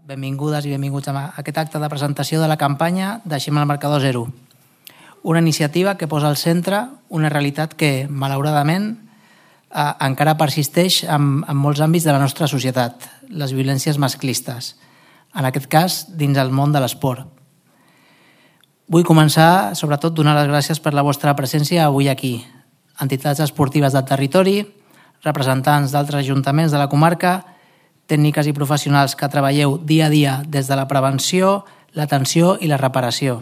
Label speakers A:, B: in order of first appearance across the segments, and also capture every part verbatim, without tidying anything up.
A: Benvingudes i benvinguts a aquest acte de presentació de la campanya Deixem el marcador zero. Una iniciativa que posa al centre una realitat que, malauradament, eh, encara persisteix en, en molts àmbits de la nostra societat, les violències masclistes, en aquest cas dins el món de l'esport. Vull començar, sobretot, donant les gràcies per la vostra presència avui aquí. Entitats esportives del territori, representants d'altres ajuntaments de la comarca, tècniques i professionals que treballeu dia a dia des de la prevenció, l'atenció i la reparació.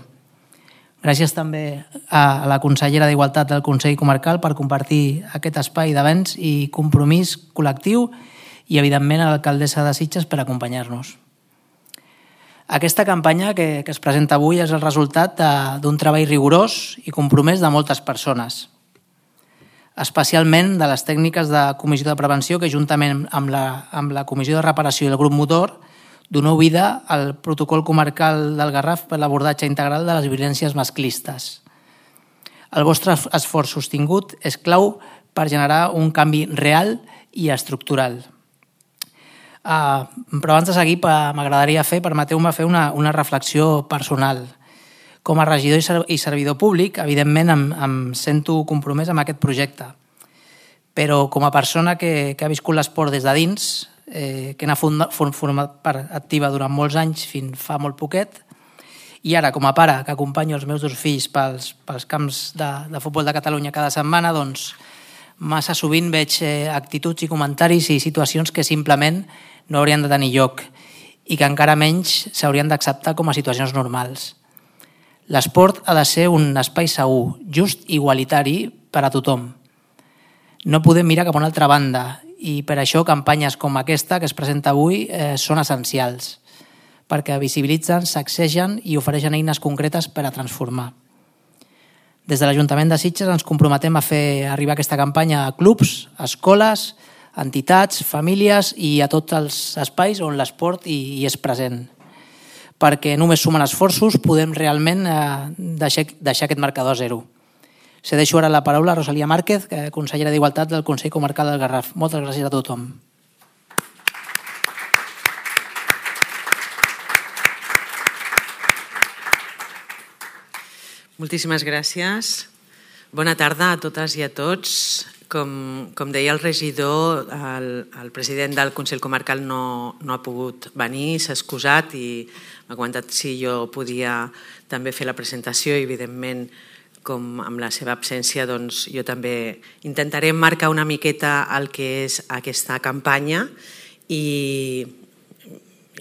A: Gràcies també a la consellera d'Igualtat del Consell Comarcal per compartir aquest espai d'avenç i compromís col·lectiu i, evidentment, a l'alcaldessa de Sitges per acompanyar-nos. Aquesta campanya que, que es presenta avui és el resultat d'un treball rigorós i compromès de moltes persones, especialment de les tècniques de Comissió de Prevenció que, juntament amb la, amb la Comissió de Reparació i el grup motor, doneu vida al protocol comarcal del Garraf per l'abordatge integral de les violències masclistes. El vostre esforç sostingut és clau per generar un canvi real i estructural. Uh, però abans de seguir, m'agradaria fer, permeteu-me fer una, una reflexió personal. Com a regidor i servidor públic, evidentment em, em sento compromès amb aquest projecte. Però com a persona que, que ha viscut l'esport des de dins, eh, que n'ha format part activa durant molts anys fins fa molt poquet, i ara com a pare que acompanyo els meus dos fills pels, pels camps de, de futbol de Catalunya cada setmana, doncs massa sovint veig eh, actituds i comentaris i situacions que simplement no haurien de tenir lloc i que encara menys s'haurien d'acceptar com a situacions normals. L'esport ha de ser un espai segur, just i igualitari per a tothom. No podem mirar cap a una altra banda i per això campanyes com aquesta que es presenta avui eh, són essencials, perquè visibilitzen, sacsegen i ofereixen eines concretes per a transformar. Des de l'Ajuntament de Sitges ens comprometem a fer arribar aquesta campanya a clubs, escoles, entitats, famílies i a tots els espais on l'esport hi, hi és present, perquè només sumant esforços podem realment eh, deixar, deixar aquest marcador zero. Cedeixo ara la paraula a Rosalía Márquez, consellera d'Igualtat del Consell Comarcal del Garraf. Moltes gràcies a tothom.
B: Moltíssimes gràcies. Bona tarda a totes i a tots. Com, com deia el regidor, el, el president del Consell Comarcal no, no ha pogut venir, s'ha excusat i m'ha comentat si jo podia també fer la presentació i, evidentment, com amb la seva absència, doncs jo també intentaré marcar una miqueta el que és aquesta campanya i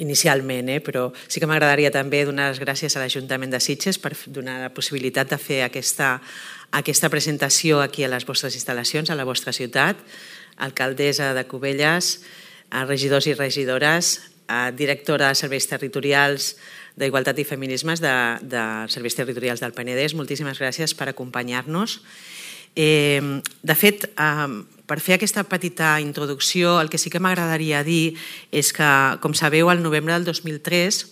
B: inicialment, eh, però sí que m'agradaria també donar les gràcies a l'Ajuntament de Sitges per donar la possibilitat de fer aquesta, aquesta presentació aquí a les vostres instal·lacions, a la vostra ciutat, alcaldessa de Cubelles, a regidors i regidores, a directora de serveis territorials d'Igualtat i Feminismes de, de Serveis Territorials del Penedès. Moltíssimes gràcies per acompanyar-nos. Eh, de fet, eh, per fer aquesta petita introducció, el que sí que m'agradaria dir és que, com sabeu, al novembre del dos mil tres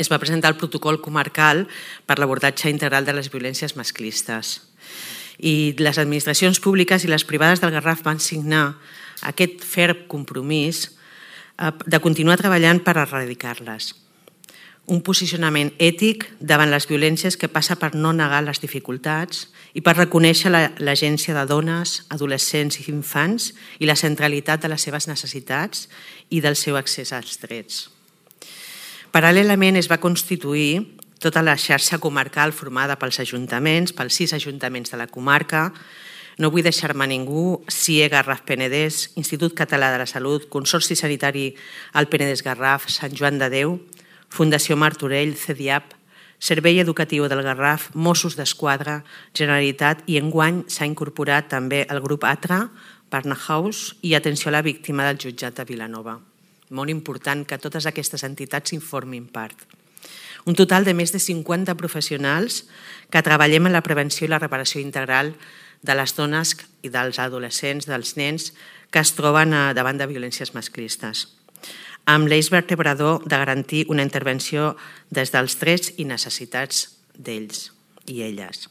B: es va presentar el protocol comarcal per l'abordatge integral de les violències masclistes. I les administracions públiques i les privades del Garraf van signar aquest ferm compromís de continuar treballant per erradicar-les. Un posicionament ètic davant les violències que passa per no negar les dificultats i per reconèixer l'agència de dones, adolescents i infants i la centralitat de les seves necessitats i del seu accés als drets. Paral·lelament es va constituir tota la xarxa comarcal formada pels ajuntaments, pels sis ajuntaments de la comarca. No vull deixar-me ningú: C I E Garraf Penedès, Institut Català de la Salut, Consorci Sanitari al Penedès Garraf, Sant Joan de Déu, Fundació Martorell, C D I A P, Servei Educatiu del Garraf, Mossos d'Esquadra, Generalitat i enguany s'ha incorporat també el grup ATRA, Barnhouse i Atenció a la Víctima del Jutjat de Vilanova. Molt important que totes aquestes entitats informin part. Un total de més de cinquanta professionals que treballem en la prevenció i la reparació integral de les dones i dels adolescents, dels nens que es troben davant de violències masclistes, amb l'eix vertebrador de garantir una intervenció des dels drets i necessitats d'ells i elles.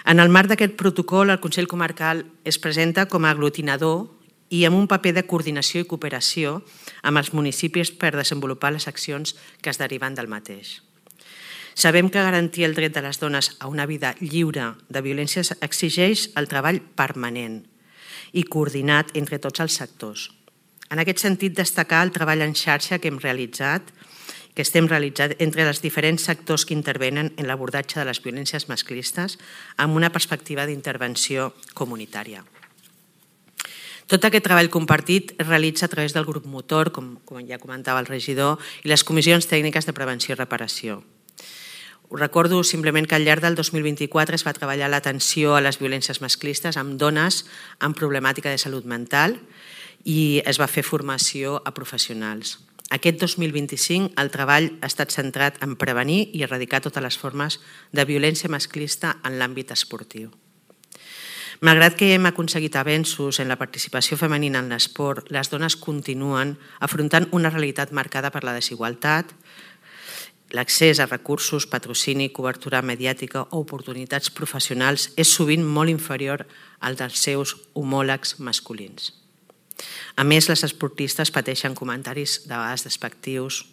B: En el marc d'aquest protocol, el Consell Comarcal es presenta com a aglutinador i amb un paper de coordinació i cooperació amb els municipis per desenvolupar les accions que es deriven del mateix. Sabem que garantir el dret de les dones a una vida lliure de violències exigeix el treball permanent i coordinat entre tots els sectors. En aquest sentit, destacar el treball en xarxa que hem realitzat, que estem realitzant entre els diferents sectors que intervenen en l'abordatge de les violències masclistes amb una perspectiva d'intervenció comunitària. Tot aquest treball compartit es realitza a través del grup motor, com, com ja comentava el regidor, i les comissions tècniques de prevenció i reparació. Us recordo simplement que al llarg del dos mil vint-i-quatre es va treballar l'atenció a les violències masclistes amb dones amb problemàtica de salut mental i es va fer formació a professionals. Aquest dos mil vint-i-cinc el treball ha estat centrat en prevenir i erradicar totes les formes de violència masclista en l'àmbit esportiu. Malgrat que hem aconseguit avenços en la participació femenina en l'esport, les dones continuen afrontant una realitat marcada per la desigualtat, l'accés a recursos, patrocini, cobertura mediàtica o oportunitats professionals és sovint molt inferior al dels seus homòlegs masculins. A més, les esportistes pateixen comentaris de vegades despectius,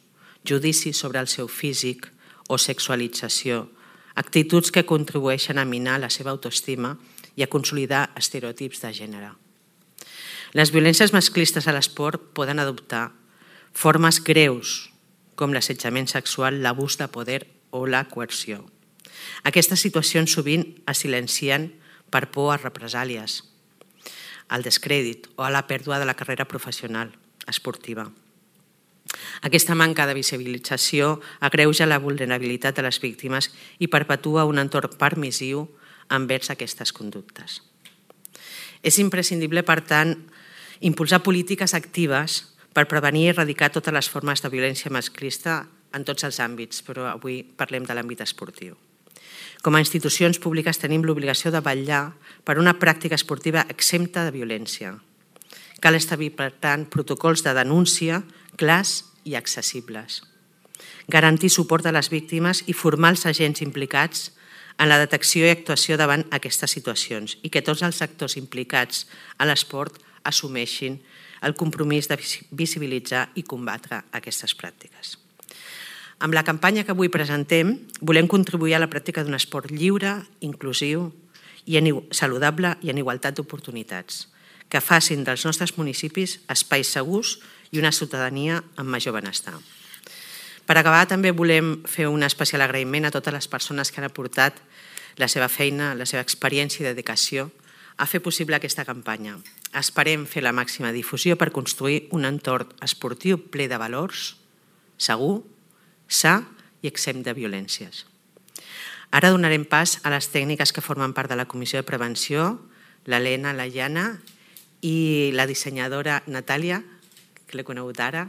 B: judicis sobre el seu físic o sexualització, actituds que contribueixen a minar la seva autoestima i a consolidar estereotips de gènere. Les violències masclistes a l'esport poden adoptar formes greus, com l'assetjament sexual, l'abús de poder o la coerció. Aquestes situacions sovint es silencien per por a represàlies, al descrèdit o a la pèrdua de la carrera professional esportiva. Aquesta manca de visibilització agreuja la vulnerabilitat de les víctimes i perpetua un entorn permissiu envers aquestes conductes. És imprescindible, per tant, impulsar polítiques actives per prevenir i erradicar totes les formes de violència masclista en tots els àmbits, però avui parlem de l'àmbit esportiu. Com a institucions públiques tenim l'obligació de vetllar per una pràctica esportiva exempta de violència. Cal establir, per tant, protocols de denúncia clars i accessibles. Garantir suport a les víctimes i formar els agents implicats en la detecció i actuació davant aquestes situacions i que tots els sectors implicats a l'esport assumeixin el compromís de visibilitzar i combatre aquestes pràctiques. Amb la campanya que avui presentem, volem contribuir a la pràctica d'un esport lliure, inclusiu, i saludable i en igualtat d'oportunitats, que facin dels nostres municipis espais segurs i una ciutadania amb major benestar. Per acabar, també volem fer un especial agraïment a totes les persones que han aportat la seva feina, la seva experiència i dedicació a fer possible aquesta campanya. Esperem fer la màxima difusió per construir un entorn esportiu ple de valors, segur, sa i exempt de violències. Ara donarem pas a les tècniques que formen part de la Comissió de Prevenció, l'Helena, la Jana i la dissenyadora Natàlia, que l'he conegut ara,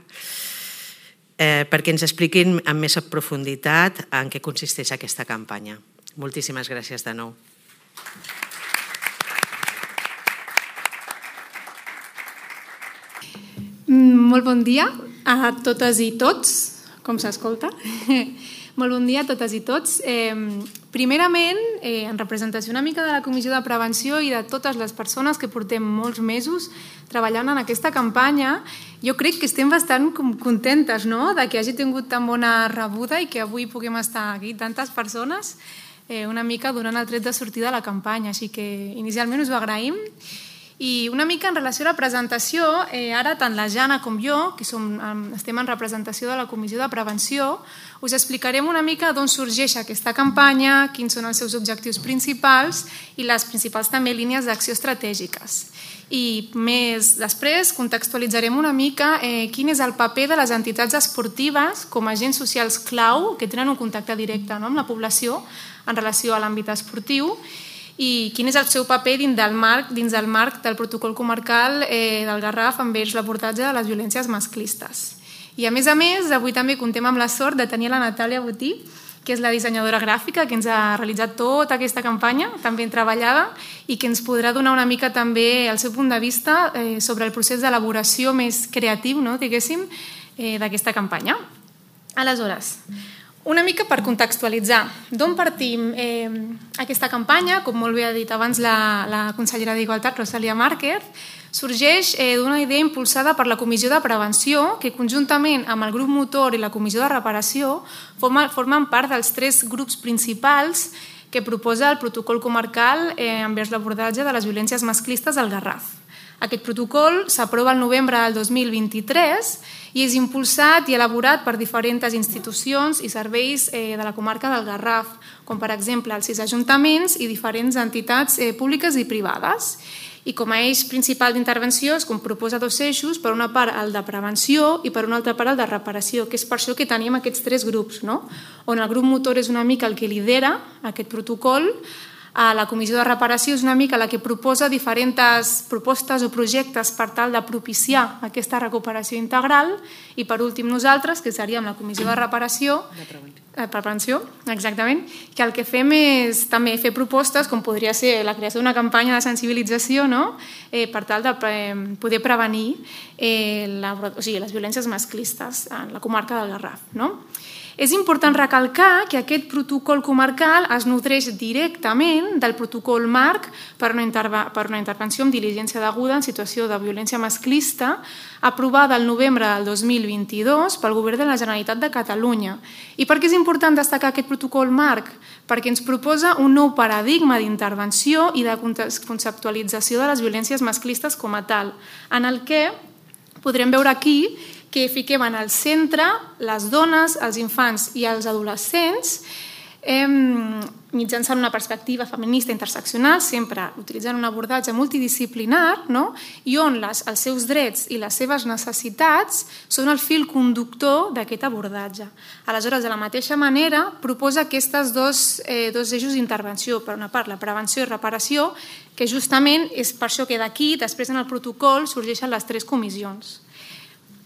B: eh, perquè ens expliquin amb més profunditat en què consisteix aquesta campanya. Moltíssimes gràcies de nou.
C: Molt bon dia a totes i tots, com s'escolta. Molt bon dia a totes i tots. Eh, primerament, eh, en representació una mica de la Comissió de Prevenció i de totes les persones que portem molts mesos treballant en aquesta campanya, jo crec que estem bastant contentes, no?, de que hagi tingut tan bona rebuda i que avui puguem estar aquí tantes persones eh, una mica donant el tret de sortida a la campanya. Així que inicialment us ho agraïm. I una mica en relació a la presentació, eh, ara tant la Jana com jo, que som, estem en representació de la Comissió de Prevenció, us explicarem una mica d'on sorgeix aquesta campanya, quins són els seus objectius principals i les principals també línies d'acció estratègiques. I més després contextualitzarem una mica eh, quin és el paper de les entitats esportives com a agents socials clau que tenen un contacte directe, no?, amb la població en relació a l'àmbit esportiu, i quin és el seu paper dins del marc, dins del, marc del protocol comarcal eh, del Garraf envers l'abordatge de les violències masclistes. I a més a més, avui també contem amb la sort de tenir la Natàlia Botí, que és la dissenyadora gràfica que ens ha realitzat tota aquesta campanya, tan ben treballada, i que ens podrà donar una mica també el seu punt de vista eh, sobre el procés d'elaboració més creatiu, no, diguéssim, eh, d'aquesta campanya. Aleshores, una mica per contextualitzar d'on partim eh, aquesta campanya, com molt bé ha dit abans la, la consellera d'Igualtat, Rosalia Márquez, sorgeix d'una idea impulsada per la Comissió de Prevenció, que conjuntament amb el grup motor i la Comissió de Reparació formen part dels tres grups principals que proposa el protocol comarcal envers l'abordatge de les violències masclistes al Garraf. Aquest protocol s'aprova el novembre del dos mil vint-i-tres i és impulsat i elaborat per diferents institucions i serveis de la comarca del Garraf, com per exemple els sis ajuntaments i diferents entitats públiques i privades. I com a eix principal d'intervenció es proposa dos eixos, per una part el de prevenció i per una altra part el de reparació, que és per això que tenim aquests tres grups, on el grup motor és una mica el que lidera aquest protocol, la Comissió de Reparació és una mica la que proposa diferents propostes o projectes per tal de propiciar aquesta recuperació integral i per últim nosaltres, que seríem la Comissió de Reparació, de prevenció, exactament, que el que fem és també fer propostes com podria ser la creació d'una campanya de sensibilització per tal de poder prevenir les violències masclistes en la comarca del Garraf. És important recalcar que aquest protocol comarcal es nodreix directament del protocol marc per una intervenció amb diligència deguda en situació de violència masclista aprovada el novembre del dos mil vint-i-dos pel Govern de la Generalitat de Catalunya. I per què és important destacar aquest protocol marc? Perquè ens proposa un nou paradigma d'intervenció i de conceptualització de les violències masclistes com a tal, en el que podrem veure aquí que fiquem en el centre les dones, els infants i els adolescents mitjançant una perspectiva feminista interseccional, sempre utilitzant un abordatge multidisciplinar, i on els seus drets i les seves necessitats són el fil conductor d'aquest abordatge. Aleshores, de la mateixa manera, proposa aquests dos eixos d'intervenció, per una part la prevenció i reparació, que justament és per això que d'aquí, després en el protocol, sorgeixen les tres comissions.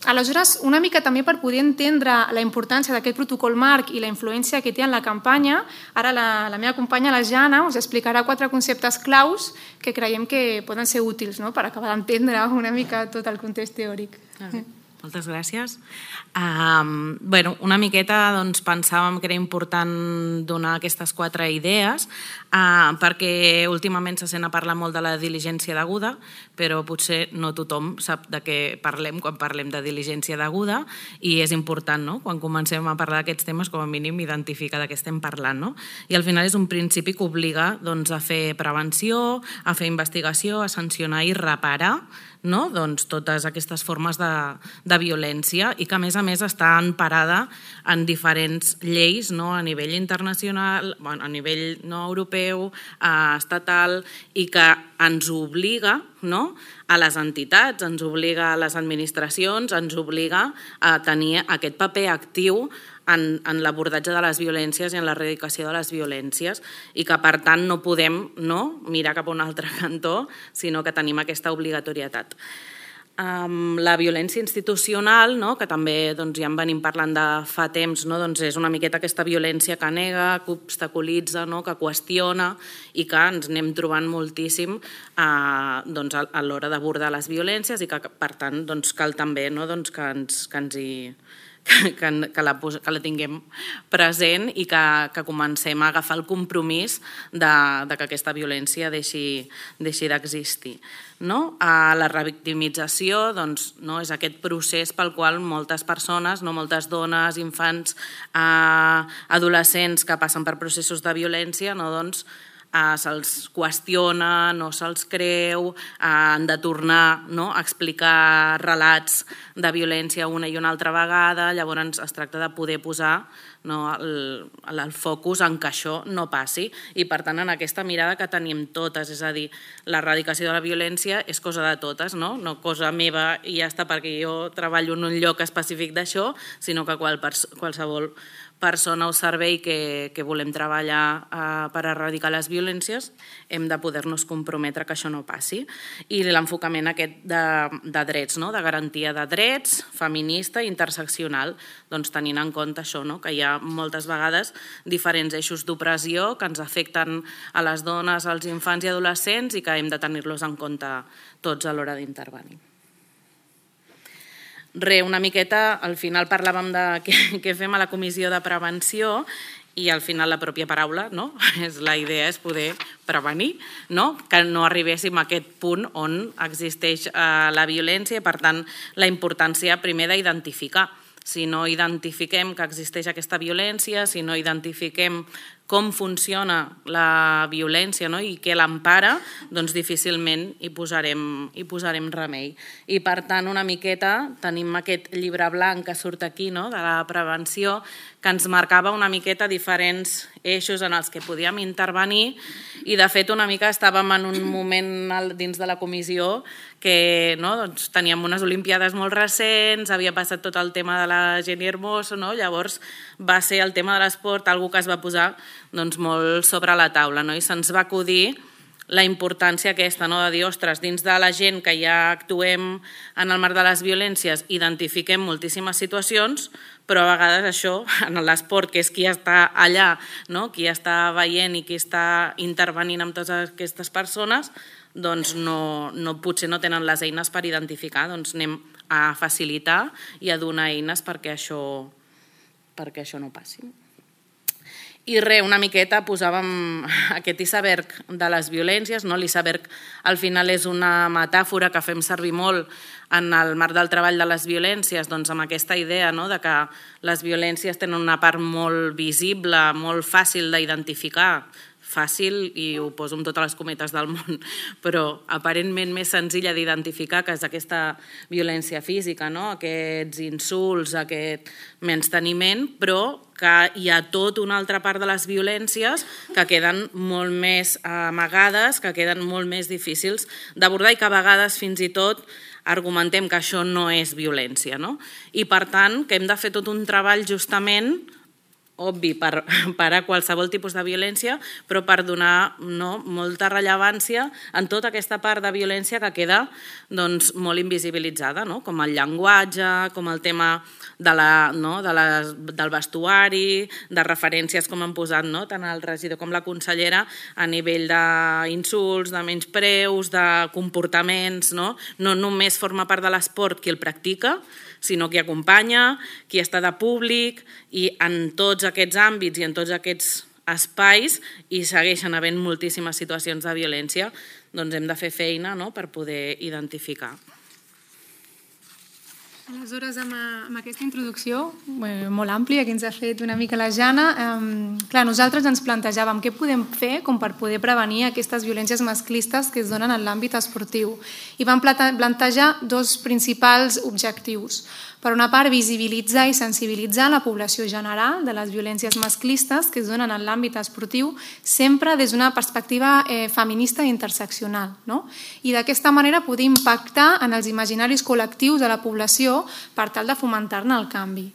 C: Aleshores, una mica també per poder entendre la importància d'aquest protocol marc i la influència que té en la campanya, ara la meva companya, la Jana, us explicarà quatre conceptes claus que creiem que poden ser útils per acabar d'entendre una mica tot el context teòric.
D: Moltes gràcies. Una miqueta pensàvem que era important donar aquestes quatre idees perquè últimament se sent a parlar molt de la diligència deguda, però potser no tothom sap de què parlem quan parlem de diligència deguda i és important, quan comencem a parlar d'aquests temes, com a mínim identificar de què estem parlant. I al final és un principi que obliga a fer prevenció, a fer investigació, a sancionar i reparar totes aquestes formes de violència i que a més a més està emparada en diferents lleis a nivell internacional, a nivell no europeu, estatal, i que ens obliga a les entitats, ens obliga a les administracions, ens obliga a tenir aquest paper actiu en l'abordatge de les violències i en l'erradicació de les violències i que, per tant, no podem mirar cap a un altre cantó, sinó que tenim aquesta obligatorietat. La violència institucional, que també ja en venim parlant de fa temps, és una miqueta aquesta violència que nega, que obstaculitza, que qüestiona i que ens anem trobant moltíssim a l'hora d'abordar les violències i que, per tant, cal també que ens hi... que la tinguem present i que comencem a agafar el compromís que aquesta violència deixi d'existir. La revictimització és aquest procés pel qual moltes persones, moltes dones, infants, adolescents que passen per processos de violència se'ls qüestiona, no se'ls creu, han de tornar a explicar relats de violència una i una altra vegada, llavors es tracta de poder posar el focus en que això no passi i, per tant, en aquesta mirada que tenim totes, és a dir, l'erradicació de la violència és cosa de totes, no cosa meva i ja està perquè jo treballo en un lloc específic d'això, sinó que qualsevol persona o servei que volem treballar per erradicar les violències hem de poder-nos comprometre que això no passi. I l'enfocament aquest de drets, de garantia de drets, feminista i interseccional, tenint en compte això, que hi ha moltes vegades diferents eixos d'opressió que ens afecten a les dones, als infants i adolescents i que hem de tenir-los en compte tots a l'hora d'intervenir. Re, una miqueta, al final parlàvem de què fem a la comissió de prevenció i al final la pròpia paraula, no? La idea és poder prevenir, no? Que no arribéssim a aquest punt on existeix la violència i, per tant, la importància primer d'identificar. Si no identifiquem que existeix aquesta violència, si no identifiquem com funciona la violència, no? I què l'empara, doncs difícilment hi posarem, hi posarem remei. I per tant, una miqueta, tenim aquest llibre blanc que surt aquí, no? De la prevenció, que ens marcava una miqueta diferents eixos en els que podíem intervenir i de fet una mica estàvem en un moment dins de la comissió que no, doncs, teníem unes olimpiades molt recents, havia passat tot el tema de la Jenny Hermoso, no? Llavors va ser el tema de l'esport algo que es va posar doncs, molt sobre la taula, no? I se'ns va acudir la importància aquesta, no? De dir, ostres, dins de la gent que ja actuem en el marc de les violències identifiquem moltíssimes situacions, però a vegades això, en l'esport, que és qui està allà, no? Qui està veient i qui està intervenint amb totes aquestes persones, doncs no, no, potser no tenen les eines per identificar, doncs anem a facilitar i a donar eines perquè això, perquè això no passi. I res, una miqueta posàvem aquest iceberg de les violències, no? L'iceberg al final és una metàfora que fem servir molt en el marc del treball de les violències, doncs amb aquesta idea, no? De que les violències tenen una part molt visible, molt fàcil d'identificar, fàcil, i ho poso amb totes les cometes del món, però aparentment més senzilla d'identificar, que és aquesta violència física, no? Aquests insults, aquest menysteniment, però que hi ha tota una altra part de les violències que queden molt més amagades, que queden molt més difícils d'abordar i que a vegades fins i tot argumentem que això no és violència, no? I per tant que hem de fer tot un treball justament obvi per parar qualsevol tipus de violència, però per donar no, molta rellevància en tota aquesta part de violència que queda doncs, molt invisibilitzada, no? Com el llenguatge, com el tema de la, no, de les, del vestuari, de referències com han posat no? Tant el regidor com la consellera a nivell d'insults, de menyspreus, de comportaments, no? No només forma part de l'esport qui el practica, sinó qui acompanya, qui està de públic, i en tots aquests àmbits i en tots aquests espais hi segueixen havent moltíssimes situacions de violència, doncs hem de fer feina no? Per poder identificar.
C: Aleshores, amb, amb aquesta introducció eh, molt àmplia que ens ha fet una mica la Jana, eh, clar, nosaltres ens plantejàvem què podem fer com per poder prevenir aquestes violències masclistes que es donen en l'àmbit esportiu. I vam plantejar dos principals objectius. Per una part, visibilitzar i sensibilitzar la població general de les violències masclistes que es donen en l'àmbit esportiu, sempre des d'una perspectiva eh, feminista i interseccional. No? I d'aquesta manera poder impactar en els imaginaris col·lectius de la població per tal de fomentar-ne el canvi.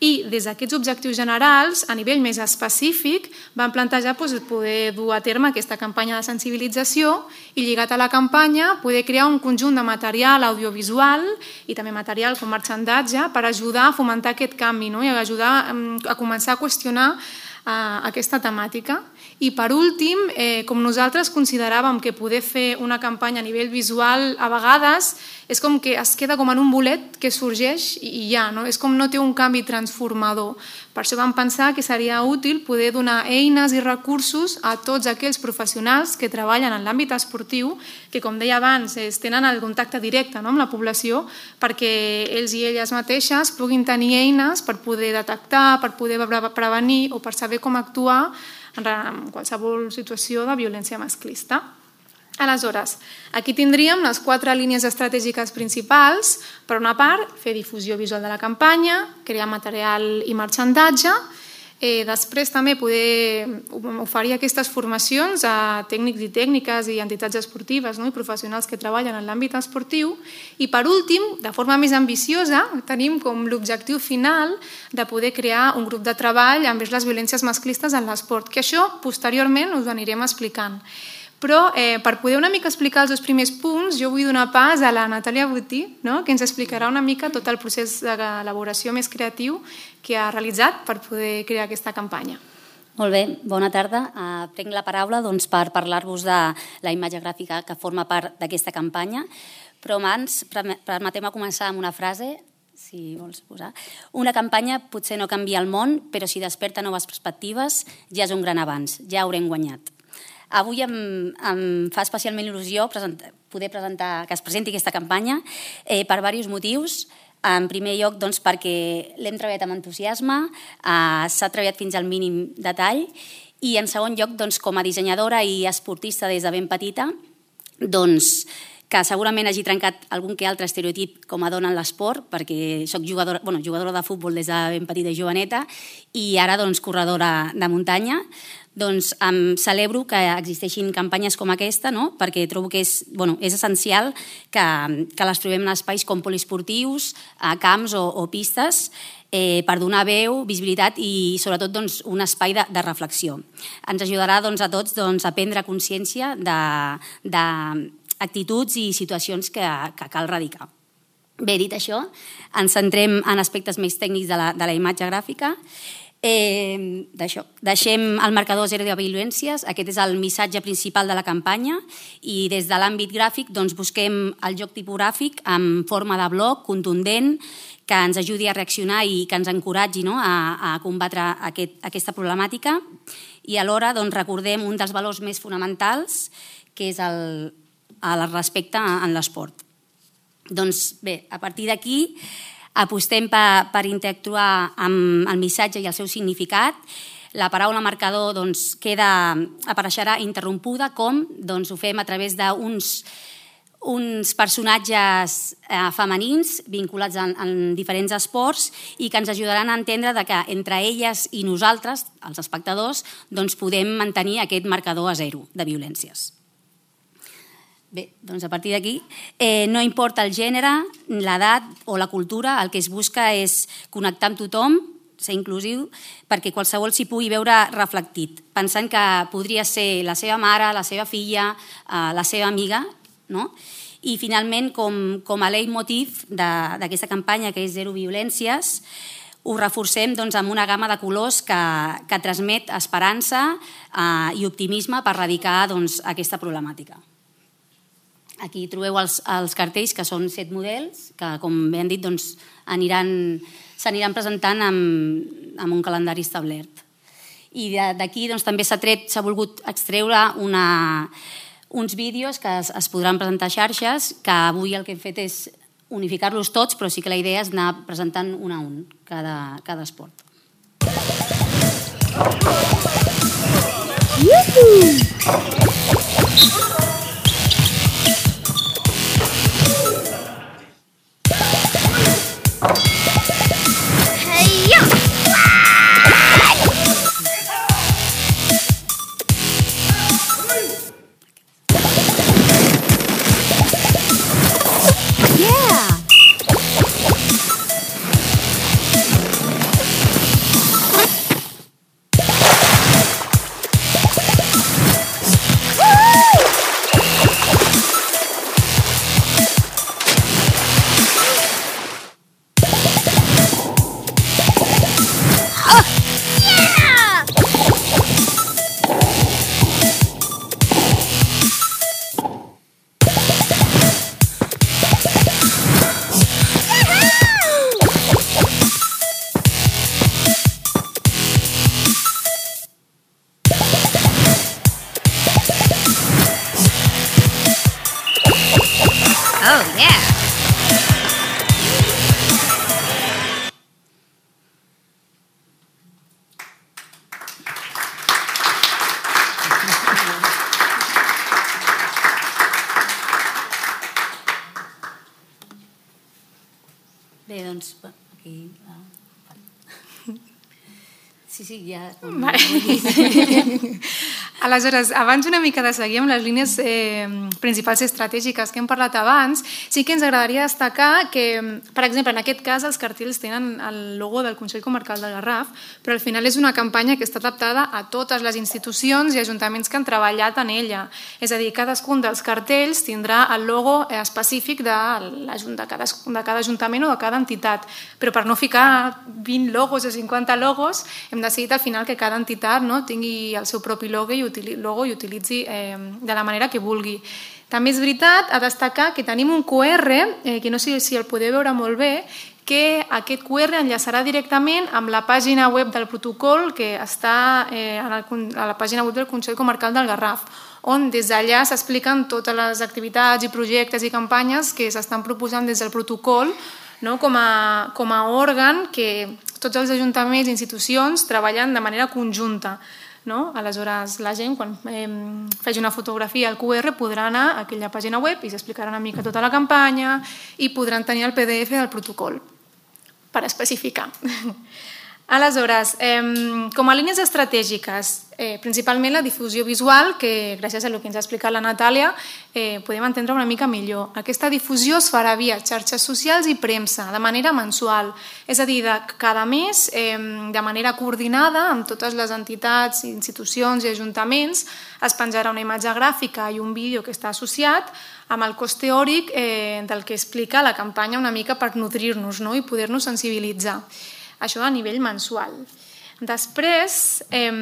C: I des d'aquests objectius generals, a nivell més específic, vam plantejar doncs, poder dur a terme aquesta campanya de sensibilització i, lligat a la campanya, poder crear un conjunt de material audiovisual i també material com marxandatge per ajudar a fomentar aquest canvi no? I ajudar a començar a qüestionar uh, aquesta temàtica. I per últim, eh, com nosaltres consideràvem que poder fer una campanya a nivell visual a vegades és com que es queda com en un bolet que sorgeix i ja, no? És com no té un canvi transformador. Per això vam pensar que seria útil poder donar eines i recursos a tots aquells professionals que treballen en l'àmbit esportiu, que com deia abans, es tenen el contacte directe no? Amb la població, perquè ells i elles mateixes puguin tenir eines per poder detectar, per poder prevenir o per saber com actuar en qualsevol situació de violència masclista. Aleshores, aquí tindríem les quatre línies estratègiques principals. Per una part, fer difusió visual de la campanya, crear material i marxandatge, eh, després també poder oferir aquestes formacions a tècnics i tècniques i entitats esportives no? I professionals que treballen en l'àmbit esportiu, i per últim, de forma més ambiciosa, tenim com l'objectiu final de poder crear un grup de treball envers les violències masclistes en l'esport, que això posteriorment us ho anirem explicant. Però eh, per poder una mica explicar els dos primers punts, jo vull donar pas a la Natàlia Botí, no? Que ens explicarà una mica tot el procés d'elaboració més creatiu que ha realitzat per poder crear aquesta campanya.
E: Molt bé, bona tarda. Uh, prenc la paraula doncs, per parlar-vos de la imatge gràfica que forma part d'aquesta campanya, però abans permetem-me començar amb una frase. si vols posar. Una campanya potser no canvia el món, però si desperta noves perspectives ja és un gran avanç, ja haurem guanyat. Avui em, em fa especialment il·lusió presentar, poder presentar, que es presenti aquesta campanya eh, per diversos motius. En primer lloc, doncs, perquè l'hem treballat amb entusiasme, eh, s'ha treballat fins al mínim detall, i en segon lloc, doncs, com a dissenyadora i esportista des de ben petita, doncs, que segurament hagi trencat algun que altre estereotip com a dona en l'esport, perquè soc jugadora, bueno, jugadora de futbol des de ben petita i joveneta, i ara doncs, corredora de muntanya. Doncs em celebro que existeixin campanyes com aquesta, no? Perquè trobo que és, bueno, és essencial que, que les trobem en espais com poliesportius, a camps o, o pistes, eh, per donar veu, visibilitat i sobretot doncs, un espai de, de reflexió. Ens ajudarà doncs, a tots doncs, a prendre consciència de, de actituds i situacions que, que cal erradicar. Bé, dit això, ens centrem en aspectes més tècnics de la, de la imatge gràfica. Eh, Deixem el marcador zero de violències, aquest és el missatge principal de la campanya, i des de l'àmbit gràfic doncs, busquem el joc tipogràfic en forma de bloc, contundent, que ens ajudi a reaccionar i que ens encoratgi, no?, a, a combatre aquest, aquesta problemàtica, i alhora doncs, recordem un dels valors més fonamentals, que és el, el respecte en l'esport. Doncs bé, a partir d'aquí apostem per, per interactuar amb el missatge i el seu significat. La paraula marcador doncs, queda, apareixerà interrompuda, com doncs, ho fem a través d'uns uns personatges eh, femenins vinculats en, en diferents esports i que ens ajudaran a entendre de que entre elles i nosaltres, els espectadors, doncs podem mantenir aquest marcador a zero de violències. Bé, doncs a partir d'aquí, eh, no importa el gènere, l'edat o la cultura, el que es busca és connectar amb tothom, ser inclusiu, perquè qualsevol s'hi pugui veure reflectit, pensant que podria ser la seva mare, la seva filla, eh, la seva amiga, no? I finalment, com, com a leitmotiv d'aquesta campanya, que és Zero Violències, ho reforcem doncs, amb una gamma de colors que, que transmet esperança eh, i optimisme per erradicar doncs, aquesta problemàtica. Aquí trobeu els, els cartells, que són set models, que, com bé han dit, doncs, aniran, s'aniran presentant amb, amb un calendari establert. I d'aquí doncs, també s'ha tret, s'ha volgut extreure una, uns vídeos que es, es podran presentar a xarxes, que avui el que hem fet és unificar-los tots, però sí que la idea és anar presentant un a un, cada, cada esport. Bé, doncs, aquí... Sí, sí, ja...
C: Aleshores, abans una mica de seguir amb les línies eh, principals estratègiques que hem parlat abans, sí que ens agradaria destacar que, per exemple, en aquest cas els cartells tenen el logo del Consell Comarcal del Garraf, però al final és una campanya que està adaptada a totes les institucions i ajuntaments que han treballat en ella. És a dir, cadascun dels cartells tindrà el logo específic de, de, cada, de cada ajuntament o de cada entitat, però per no ficar vint logos o cinquanta logos hem decidit al final que cada entitat no, tingui el seu propi logo i logo i utilitzi eh, de la manera que vulgui. També és veritat a destacar que tenim un Q R, eh, que no sé si el podeu veure molt bé, que aquest Q R enllaçarà directament amb la pàgina web del protocol que està eh, a, la, a la pàgina web del Consell Comarcal del Garraf, on des d'allà s'expliquen totes les activitats i projectes i campanyes que s'estan proposant des del protocol, no? com, a, com a òrgan que tots els ajuntaments i institucions treballen de manera conjunta. No? Aleshores, la gent, quan eh, faci una fotografia al Q R, podrà anar a aquella pàgina web i s'explicarà una mica tota la campanya i podran tenir el P D F del protocol per especificar. Aleshores, eh, com a línies estratègiques, eh, principalment la difusió visual, que gràcies a el que ens ha explicat la Natàlia eh, podem entendre una mica millor. Aquesta difusió es farà via xarxes socials i premsa, de manera mensual, és a dir, de cada mes, eh, de manera coordinada amb totes les entitats, institucions i ajuntaments, es penjarà una imatge gràfica i un vídeo que està associat amb el cos teòric eh, del que explica la campanya una mica per nodrir-nos, no? I poder-nos sensibilitzar. Això a nivell mensual. Després eh,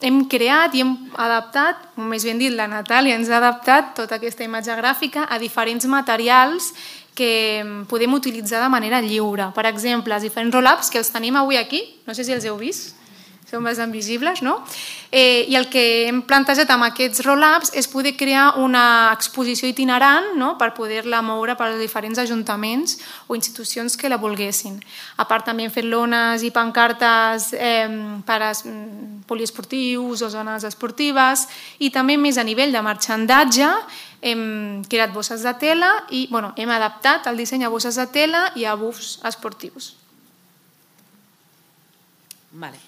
C: hem creat i hem adaptat, o més ben dit, la Natàlia ens ha adaptat tota aquesta imatge gràfica a diferents materials que podem utilitzar de manera lliure. Per exemple, els diferents roll-ups que els tenim avui aquí, no sé si els heu vist, són bastant visibles, no? Eh, I el que hem plantejat amb aquests roll-ups és poder crear una exposició itinerant, no? Per poder-la moure per als diferents ajuntaments o institucions que la volguessin. A part també hem fet lones i pancartes eh, per a poliesportius o zones esportives i també més a nivell de marxandatge hem creat bosses de tela i bueno, hem adaptat el disseny a bosses de tela i a bufs esportius.
D: Vale.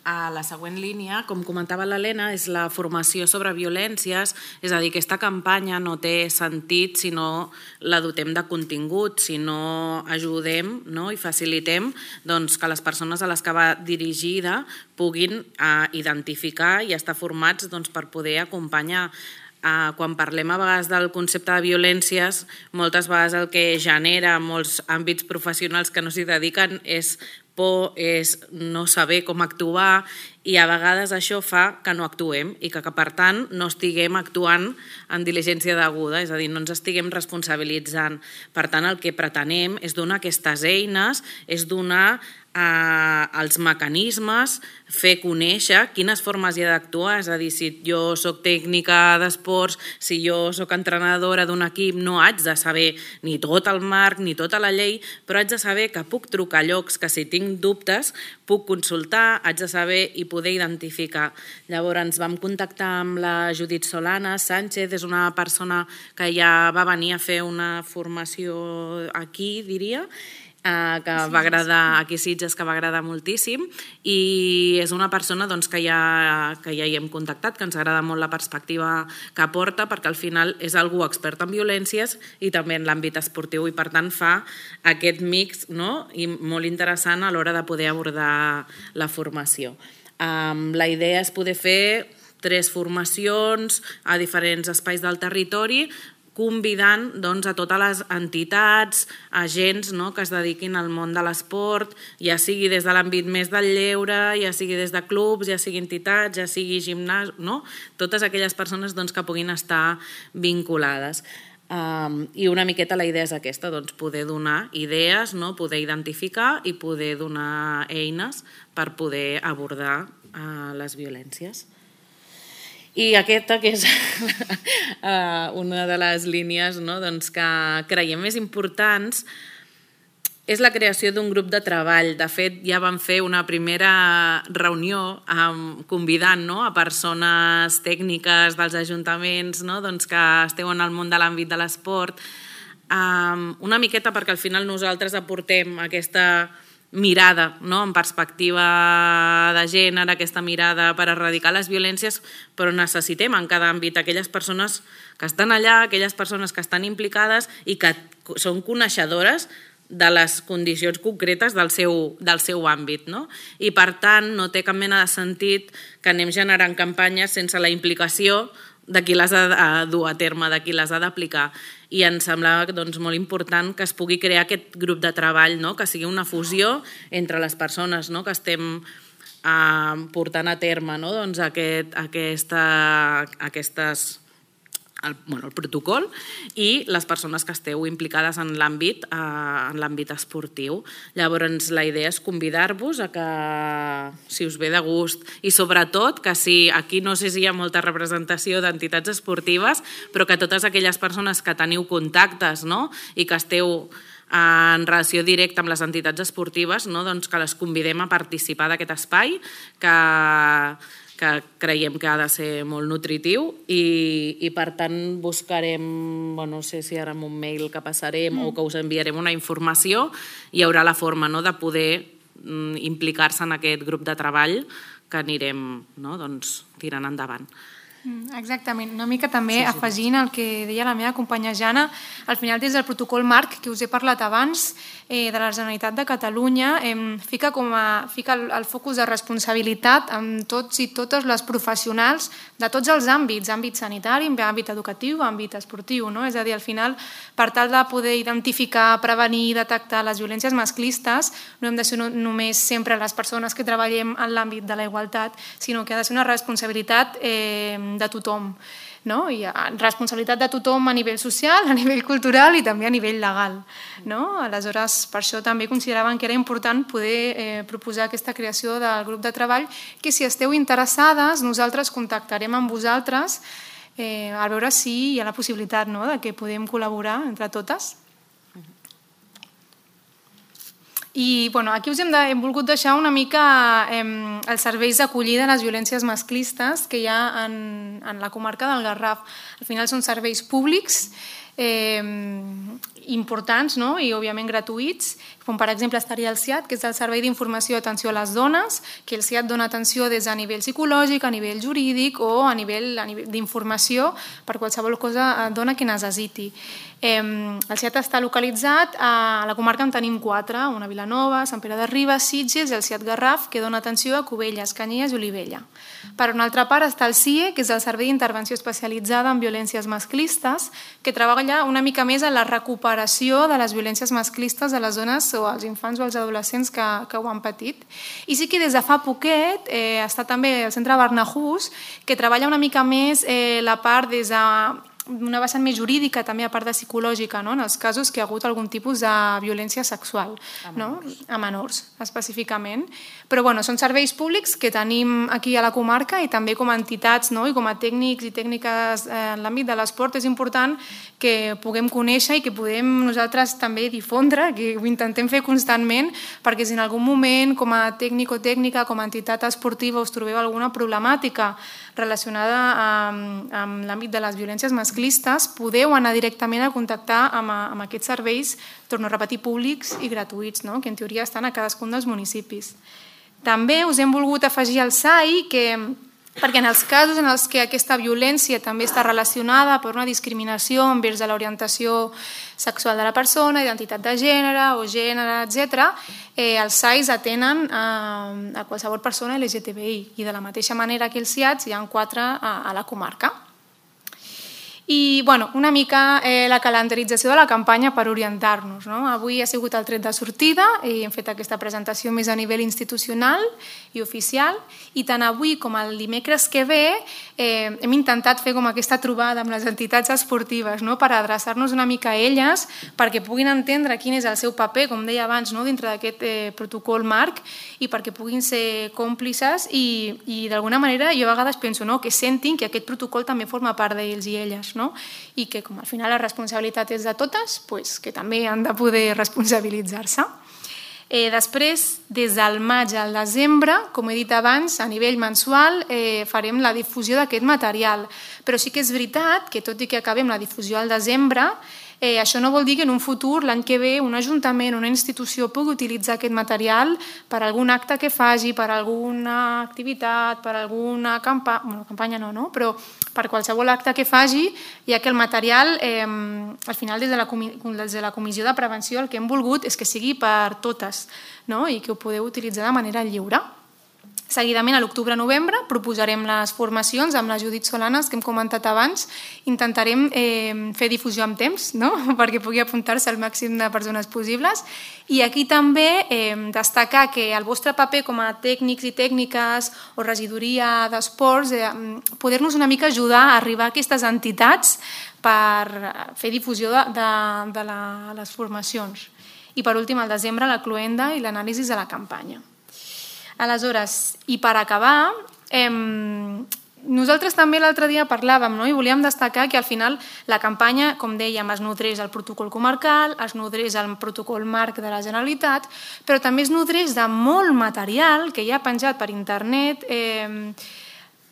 D: A la següent línia, com comentava l'Helena, és la formació sobre violències, és a dir, que aquesta campanya no té sentit si no la dotem de contingut, si no ajudem, no? I facilitem doncs, que les persones a les que va dirigida puguin eh, identificar i estar formats doncs, per poder acompanyar. Uh, quan parlem a vegades del concepte de violències, moltes vegades el que genera molts àmbits professionals que no s'hi dediquen és por, és no saber com actuar i a vegades això fa que no actuem i que, que per tant no estiguem actuant en diligència deguda, és a dir, no ens estiguem responsabilitzant. Per tant, el que pretenem és donar aquestes eines, és donar eh, els mecanismes, fer conèixer quines formes hi ha d'actuar, és a dir, si jo soc tècnica d'esports, si jo soc entrenadora d'un equip, no haig de saber ni tot el marc ni tota la llei, però haig de saber que puc trucar a llocs que si tinc dubtes puc consultar, haig de saber i poder identificar. Llavors ens vam contactar amb la Judit Solana Sánchez, és una persona que ja va venir a fer una formació aquí, diria, que va agradar aquí a Sitges, que va agradar moltíssim i és una persona doncs, que, ja, que ja hi hem contactat, que ens agrada molt la perspectiva que aporta perquè al final és algú expert en violències i també en l'àmbit esportiu i per tant fa aquest mix, no? I molt interessant a l'hora de poder abordar la formació. Um, la idea és poder fer tres formacions a diferents espais del territori convidant doncs, a totes les entitats, agents no, que es dediquin al món de l'esport, ja sigui des de l'àmbit més del lleure, ja sigui des de clubs, ja sigui entitats, ja sigui gimnàs, no? Totes aquelles persones doncs, que puguin estar vinculades. Um, I una miqueta la idea és aquesta, doncs, poder donar idees, no? Poder identificar i poder donar eines per poder abordar uh, les violències. I aquesta, que és una de les línies no, doncs que creiem més importants, és la creació d'un grup de treball. De fet, ja vam fer una primera reunió um, convidant no, a persones tècniques dels ajuntaments no, doncs que esteu en el món de l'àmbit de l'esport, um, una miqueta perquè al final nosaltres aportem aquesta mirada no? En perspectiva de gènere, aquesta mirada per erradicar les violències, però necessitem en cada àmbit aquelles persones que estan allà, aquelles persones que estan implicades i que són coneixedores de les condicions concretes del seu, del seu àmbit. No? I per tant no té cap mena de sentit que anem generant campanyes sense la implicació de qui les ha de dur a terme, de qui les ha d'aplicar. I ens semblava doncs, molt important que es pugui crear aquest grup de treball, no? Que sigui una fusió entre les persones no? Que estem eh, portant a terme no? Doncs aquest, aquesta, aquestes el, bueno, el protocol i les persones que esteu implicades en l'àmbit eh, en l'àmbit esportiu. Llavors, la idea és convidar-vos a que, si us ve de gust, i sobretot que si aquí no sé si hi ha molta representació d'entitats esportives, però que totes aquelles persones que teniu contactes, no?, i que esteu en relació directa amb les entitats esportives, no?, doncs que les convidem a participar d'aquest espai, que que creiem que ha de ser molt nutritiu i, i per tant buscarem, bueno, no sé si ara amb un mail que passarem mm. o que us enviarem una informació, hi haurà la forma, no?, de poder mm, implicar-se en aquest grup de treball que anirem, no?, doncs, tirant endavant.
C: Exactament, una mica també sí, sí, afegint el que deia la meva companya Jana, al final des del protocol marc que us he parlat abans eh, de la Generalitat de Catalunya eh, fica, com a, fica el, el focus de responsabilitat amb tots i totes les professionals de tots els àmbits, àmbit sanitari, àmbit educatiu, àmbit esportiu, no? És a dir, al final, per tal de poder identificar, prevenir, detectar les violències masclistes, no hem de ser no, només sempre les persones que treballem en l'àmbit de la igualtat, sinó que ha de ser una responsabilitat eh, de tothom, no? I responsabilitat de tothom a nivell social, a nivell cultural i també a nivell legal, no? Aleshores, per això també consideraven que era important poder eh, proposar aquesta creació del grup de treball, que si esteu interessades, nosaltres contactarem amb vosaltres eh, a veure si hi ha la possibilitat, no?, de que podem col·laborar entre totes. I bueno, aquí us hem, de, hem volgut deixar una mica eh, els serveis d'acollida a les violències masclistes que hi ha en, en la comarca del Garraf. Al final són serveis públics eh, importants, no?, i òbviament gratuïts, com per exemple estaria el S I A D, que és el Servei d'Informació i Atenció a les Dones, que el S I A D dona atenció des a nivell psicològic, a nivell jurídic o a nivell, a nivell d'informació per qualsevol cosa dona que necessiti. Eh, el S I A D està localitzat a la comarca en tenim quatre, una Vilanova, Sant Pere de Ribes, Sitges i el S I A D Garraf, que dona atenció a Cubelles, Canyelles i Olivella. Per una altra part està el S I E, que és el Servei d'Intervenció Especialitzada en Violències Masclistes, que treballa una mica més en la recuperació de les violències masclistes de les dones o als infants o als adolescents que, que ho han patit. I sí que des de fa poquet eh, està també el Centre Barnahus, que treballa una mica més eh, la part des de una vessant més jurídica, també a part de psicològica, no?, en els casos que hi ha hagut algun tipus de violència sexual, a menors, no?, a menors específicament. Però bueno, són serveis públics que tenim aquí a la comarca i també com a entitats, no?, i com a tècnics i tècniques en l'àmbit de l'esport és important que puguem conèixer i que podem nosaltres també difondre, que ho intentem fer constantment, perquè si en algun moment com a tècnic o tècnica, com a entitat esportiva us trobeu alguna problemàtica relacionada amb, amb l'àmbit de les violències masclistes, podeu anar directament a contactar amb, amb aquests serveis, torno a repetir, públics i gratuïts, no?, que en teoria estan a cadascun dels municipis. També us hem volgut afegir el S A I, que, perquè en els casos en els que aquesta violència també està relacionada per una discriminació envers de l'orientació sexual de la persona, identitat de gènere o gènere, etcètera, eh, els S A Is atenen a, a qualsevol persona L G T B I i de la mateixa manera que els S I A Ds hi ha quatre a, a la comarca. I bueno, una mica eh, la calendarització de la campanya per orientar-nos, no? Avui ha sigut el tret de sortida i hem fet aquesta presentació més a nivell institucional i oficial, i tant avui com el dimecres que ve eh, hem intentat fer com aquesta trobada amb les entitats esportives, no?, per adreçar-nos una mica a elles perquè puguin entendre quin és el seu paper, com deia abans, no?, dintre d'aquest eh, protocol marc, i perquè puguin ser còmplices i, i d'alguna manera jo a vegades penso, no?, que sentin que aquest protocol també forma part d'ells i elles, no? I que com al final la responsabilitat és de totes, pues, que també han de poder responsabilitzar-se. Eh, després, des del maig al desembre, com he dit abans, a nivell mensual eh, farem la difusió d'aquest material, però sí que és veritat que tot i que acabem la difusió al desembre, Eh, això no vol dir que en un futur, l'any que ve, un ajuntament, una institució pugui utilitzar aquest material per algun acte que faci, per alguna activitat, per alguna campanya, bueno, campanya no, no, però per qualsevol acte que faci, ja que el material, eh, al final, des de, la, des de la Comissió de Prevenció, el que hem volgut és que sigui per totes, no?, i que ho podeu utilitzar de manera lliure. Seguidament, a l'octubre-novembre, proposarem les formacions amb la Judit Solanas, que hem comentat abans. Intentarem eh, fer difusió amb temps, no? Perquè pugui apuntar-se el màxim de persones possibles. I aquí també eh, destacar que el vostre paper com a tècnics i tècniques o regidoria d'esports, eh, poder-nos una mica ajudar a arribar a aquestes entitats per fer difusió de, de, de la, les formacions. I per últim, al desembre, la cloenda i l'anàlisi de la campanya. Aleshores, i per acabar, eh, nosaltres també l'altre dia parlàvem, no? I volíem destacar que al final la campanya, com dèiem, es nodreix al protocol comarcal, es nodreix al protocol marc de la Generalitat, però també es nodreix de molt material que hi ha penjat per internet, eh,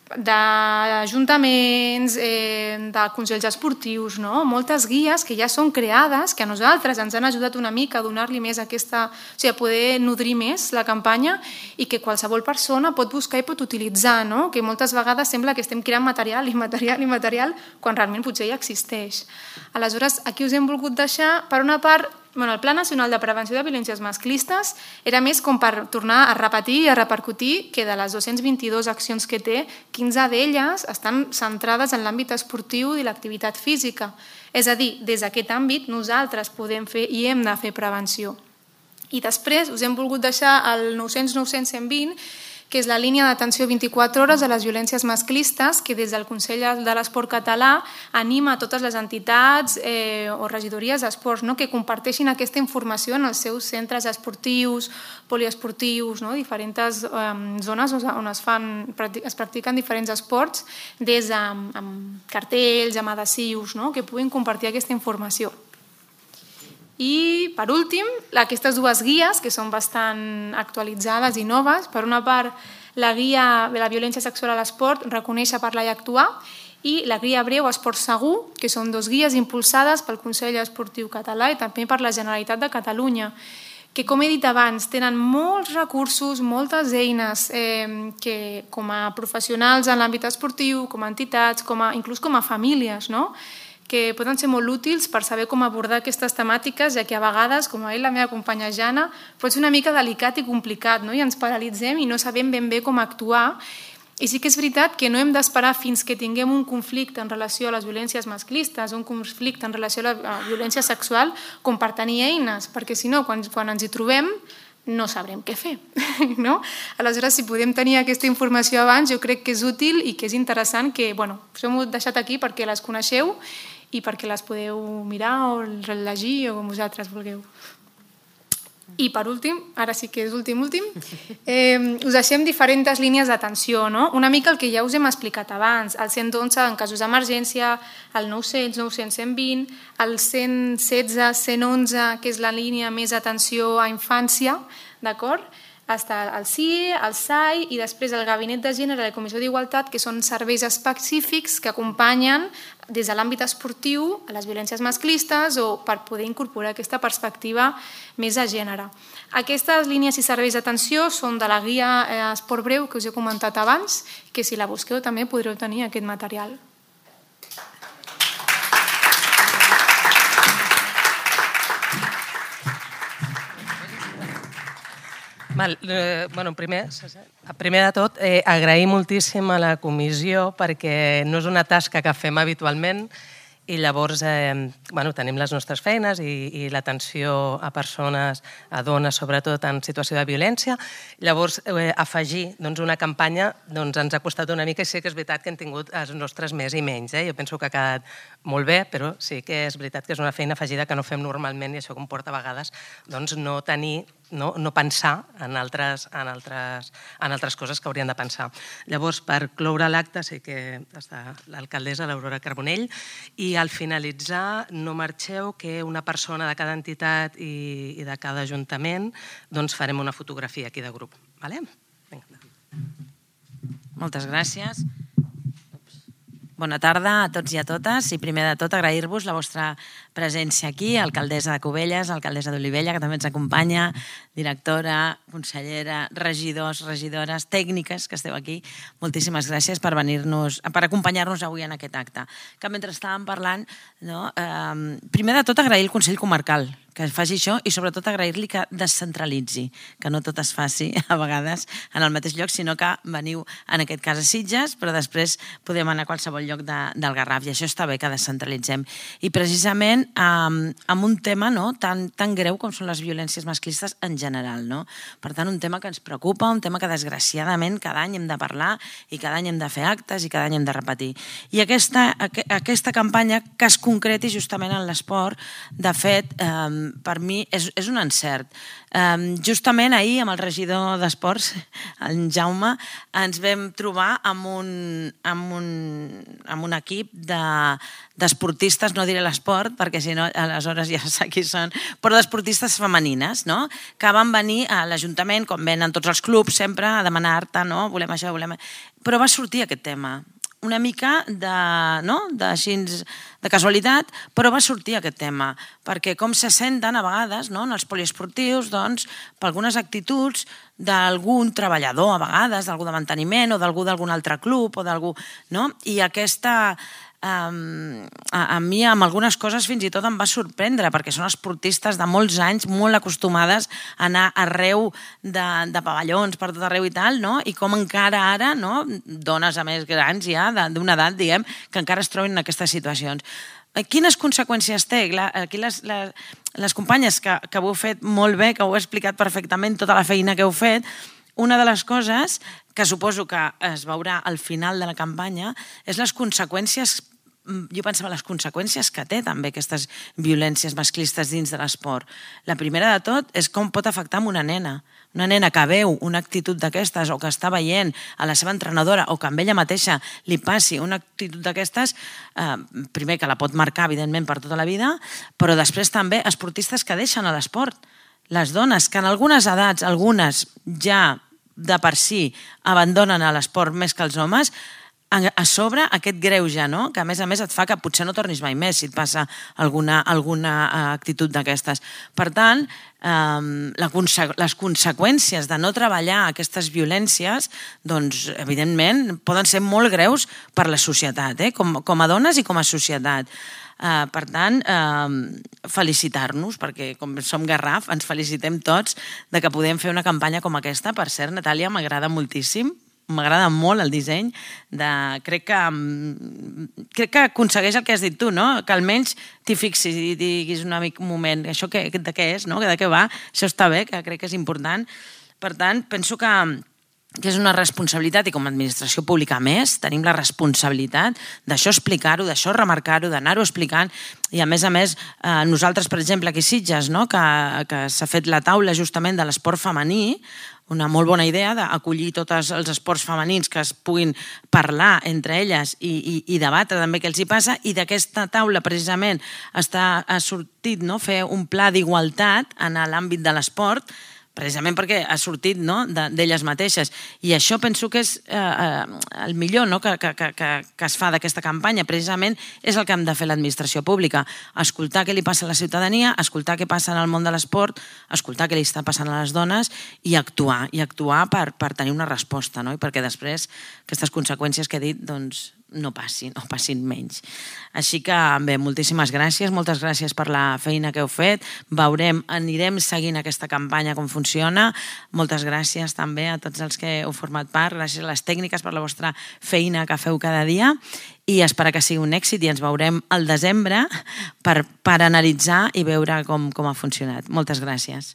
C: d'ajuntaments, eh, de consells esportius, no? Moltes guies que ja són creades, que a nosaltres ens han ajudat una mica a donar-li més aquesta, o sigui, a poder nodrir més la campanya i que qualsevol persona pot buscar i pot utilitzar, no? Que moltes vegades sembla que estem creant material i material i material quan realment potser ja existeix. Aleshores, aquí us hem volgut deixar, per una part, Bueno, el Pla Nacional de Prevenció de Violències Masclistes era més com per tornar a repetir i a repercutir que de les dues-centes vint-i-dues accions que té, quinze d'elles estan centrades en l'àmbit esportiu i l'activitat física. És a dir, des d'aquest àmbit nosaltres podem fer i hem de fer prevenció. I després us hem volgut deixar el nou-cents nou-cents cent vint, que és la línia d'atenció vint-i-quatre hores a les violències masclistes, que des del Consell de l'Esport Català anima a totes les entitats eh, o regidories d'esports, no? Que comparteixin aquesta informació en els seus centres esportius, poliesportius, no? Diferents eh, zones on es, fan, es practiquen diferents esports, des de amb cartells, amb adhesius, no? Que puguin compartir aquesta informació. I, per últim, aquestes dues guies, que són bastant actualitzades i noves. Per una part, la guia de la violència sexual a l'esport, Reconèixer, parlar i actuar, i la guia breu Esport segur, que són dues guies impulsades pel Consell Esportiu Català i també per la Generalitat de Catalunya, que, com he dit abans, tenen molts recursos, moltes eines eh, que, com a professionals en l'àmbit esportiu, com a entitats, com a, inclús com a famílies, no? Que poden ser molt útils per saber com abordar aquestes temàtiques, ja que a vegades, com ha dit la meva companya Jana, pot ser una mica delicat i complicat, no? I ens paralitzem i no sabem ben bé com actuar. I sí que és veritat que no hem d'esperar fins que tinguem un conflicte en relació a les violències masclistes, un conflicte en relació a la violència sexual, com per tenir eines, perquè si no, quan, quan ens hi trobem, no sabrem què fer, no? Aleshores, si podem tenir aquesta informació abans, jo crec que és útil i que és interessant que, bueno, us hem deixat aquí perquè les coneixeu i perquè les podeu mirar o rellegir o com vosaltres vulgueu. I per últim, ara sí que és últim, últim, eh, us deixem diferents línies d'atenció, no? Una mica el que ja us hem explicat abans, el cent onze en casos d'emergència, el nou-cents, nou-cents, cent vint, el cent setze, cent onze, que és la línia més atenció a infància, d'acord? Està el C I E, el S A I i després el Gabinet de Gènere i la Comissió d'Igualtat, que són serveis específics que acompanyen des de l'àmbit esportiu a les violències masclistes o per poder incorporar aquesta perspectiva més de gènere. Aquestes línies i serveis d'atenció són de la guia Esport Breu que us he comentat abans, que si la busqueu també podreu tenir aquest material.
F: Val, eh, bueno, primer, primer de tot, eh, agrair moltíssim a la comissió perquè no és una tasca que fem habitualment i llavors eh, bueno, tenim les nostres feines i, i l'atenció a persones, a dones, sobretot en situació de violència. Llavors, eh, afegir doncs, una campanya doncs, ens ha costat una mica i sí que és veritat que hem tingut els nostres més i menys. Eh? Jo penso que ha quedat molt bé, però sí que és veritat que és una feina afegida que no fem normalment i això comporta a vegades doncs, no tenir No, no pensar en altres, en, altres, en altres coses que haurien de pensar. Llavors, per cloure l'acte, sí que està l'alcaldessa, l'Aurora Carbonell, i al finalitzar no marxeu que una persona de cada entitat i, i de cada ajuntament doncs farem una fotografia aquí de grup. Vale? Vinga.
G: Moltes gràcies. Bona tarda a tots i a totes i primer de tot agrair-vos la vostra presència aquí, alcaldessa de Cubelles, alcaldessa d'Olivella, que també ens acompanya, directora, consellera, regidors, regidores, tècniques que esteu aquí, moltíssimes gràcies per venir-nos, per acompanyar-nos avui en aquest acte. Que mentre estàvem parlant, no, eh, primer de tot agrair el Consell Comarcal que faci això i sobretot agrair-li que descentralitzi, que no tot es faci a vegades en el mateix lloc, sinó que veniu en aquest cas a Sitges, però després podem anar a qualsevol lloc de, del Garraf i això està bé que descentralitzem. I precisament eh, amb un tema no, tan, tan greu com són les violències masclistes en general. No? Per tant, un tema que ens preocupa, un tema que desgraciadament cada any hem de parlar i cada any hem de fer actes i cada any hem de repetir. I aquesta, aquesta campanya que es concreti justament en l'esport, de fet, eh, per mi és, és un encert. Um, justament ahir amb el regidor d'Esports, en Jaume, ens vam trobar amb un, amb un, amb un equip d'esportistes, de, no diré l'esport, perquè si no aleshores ja sé qui són, però d'esportistes femenines, no? Que van venir a l'Ajuntament, com venen tots els clubs sempre, a demanar-te, no? Volem això, volem... Però va sortir aquest tema. Una mica de, no? de, així, de casualitat, però va sortir aquest tema, perquè com se senten a vegades no? en els poliesportius doncs, per algunes actituds d'algun treballador a vegades, d'algú de manteniment o d'algú d'algun altre club o d'algú, no? I aquesta... Um, a, a mi amb algunes coses fins i tot em va sorprendre perquè són esportistes de molts anys molt acostumades a anar arreu de, de pavellons per tot arreu i tal, no? I com encara ara, no? Dones a més grans ja, d'una edat, diguem, que encara es troben en aquestes situacions. Quines conseqüències té? Aquí les, les, les companyes que, que ho heu fet molt bé, que ho heu explicat perfectament, tota la feina que heu fet, una de les coses que suposo que es veurà al final de la campanya és les conseqüències, jo pensava les conseqüències que té també aquestes violències masclistes dins de l'esport. La primera de tot és com pot afectar una nena. Una nena que veu una actitud d'aquestes o que està veient a la seva entrenadora o que amb ella mateixa li passi una actitud d'aquestes, eh, primer que la pot marcar evidentment per tota la vida, però després també esportistes que deixen a l'esport. Les dones que en algunes edats, algunes ja de per si abandonen a l'esport més que els homes, a sobre aquest greuge, no? Que a més a més et fa que potser no tornis mai més si et passa alguna, alguna actitud d'aquestes. Per tant, eh, la conse les conseqüències de no treballar aquestes violències, doncs, evidentment, poden ser molt greus per la societat, eh? com, com a dones i com a societat. Uh, per tant, uh, felicitar-nos, perquè com som Garraf, ens felicitem tots de que podem fer una campanya com aquesta. Per cert, Natàlia, m'agrada moltíssim, m'agrada molt el disseny, de, crec, que, crec que aconsegueix el que has dit tu, no? Que almenys t'hi fixis i diguis un moment, això que, de què és, no? De què va, això està bé, que crec que és important. Per tant, penso que que és una responsabilitat i com a administració pública més tenim la responsabilitat d'això explicar-ho, d'això remarcar-ho, d'anar-ho explicant i a més a més eh, nosaltres per exemple aquí a Sitges no? que, que s'ha fet la taula justament de l'esport femení, una molt bona idea d'acollir tots els esports femenins que es puguin parlar entre elles i, i, i debatre també què els hi passa i d'aquesta taula precisament està, ha sortit no? Fer un pla d'igualtat en l'àmbit de l'esport precisament perquè ha sortit no, d'elles mateixes. I això penso que és eh, el millor no, que, que, que, que es fa d'aquesta campanya. Precisament és el que hem de fer l'administració pública. Escoltar què li passa a la ciutadania, escoltar què passa en el món de l'esport, escoltar què li està passant a les dones i actuar, i actuar per, per tenir una resposta, no? I perquè després aquestes conseqüències que he dit doncs, no passin, o passin menys. Així que, bé, moltíssimes gràcies, moltes gràcies per la feina que heu fet. Veurem, anirem seguint aquesta campanya com funciona. Moltes gràcies també a tots els que heu format part. Gràcies a les tècniques per la vostra feina que feu cada dia i espero que sigui un èxit i ens veurem al desembre per, per analitzar i veure com, com ha funcionat. Moltes gràcies.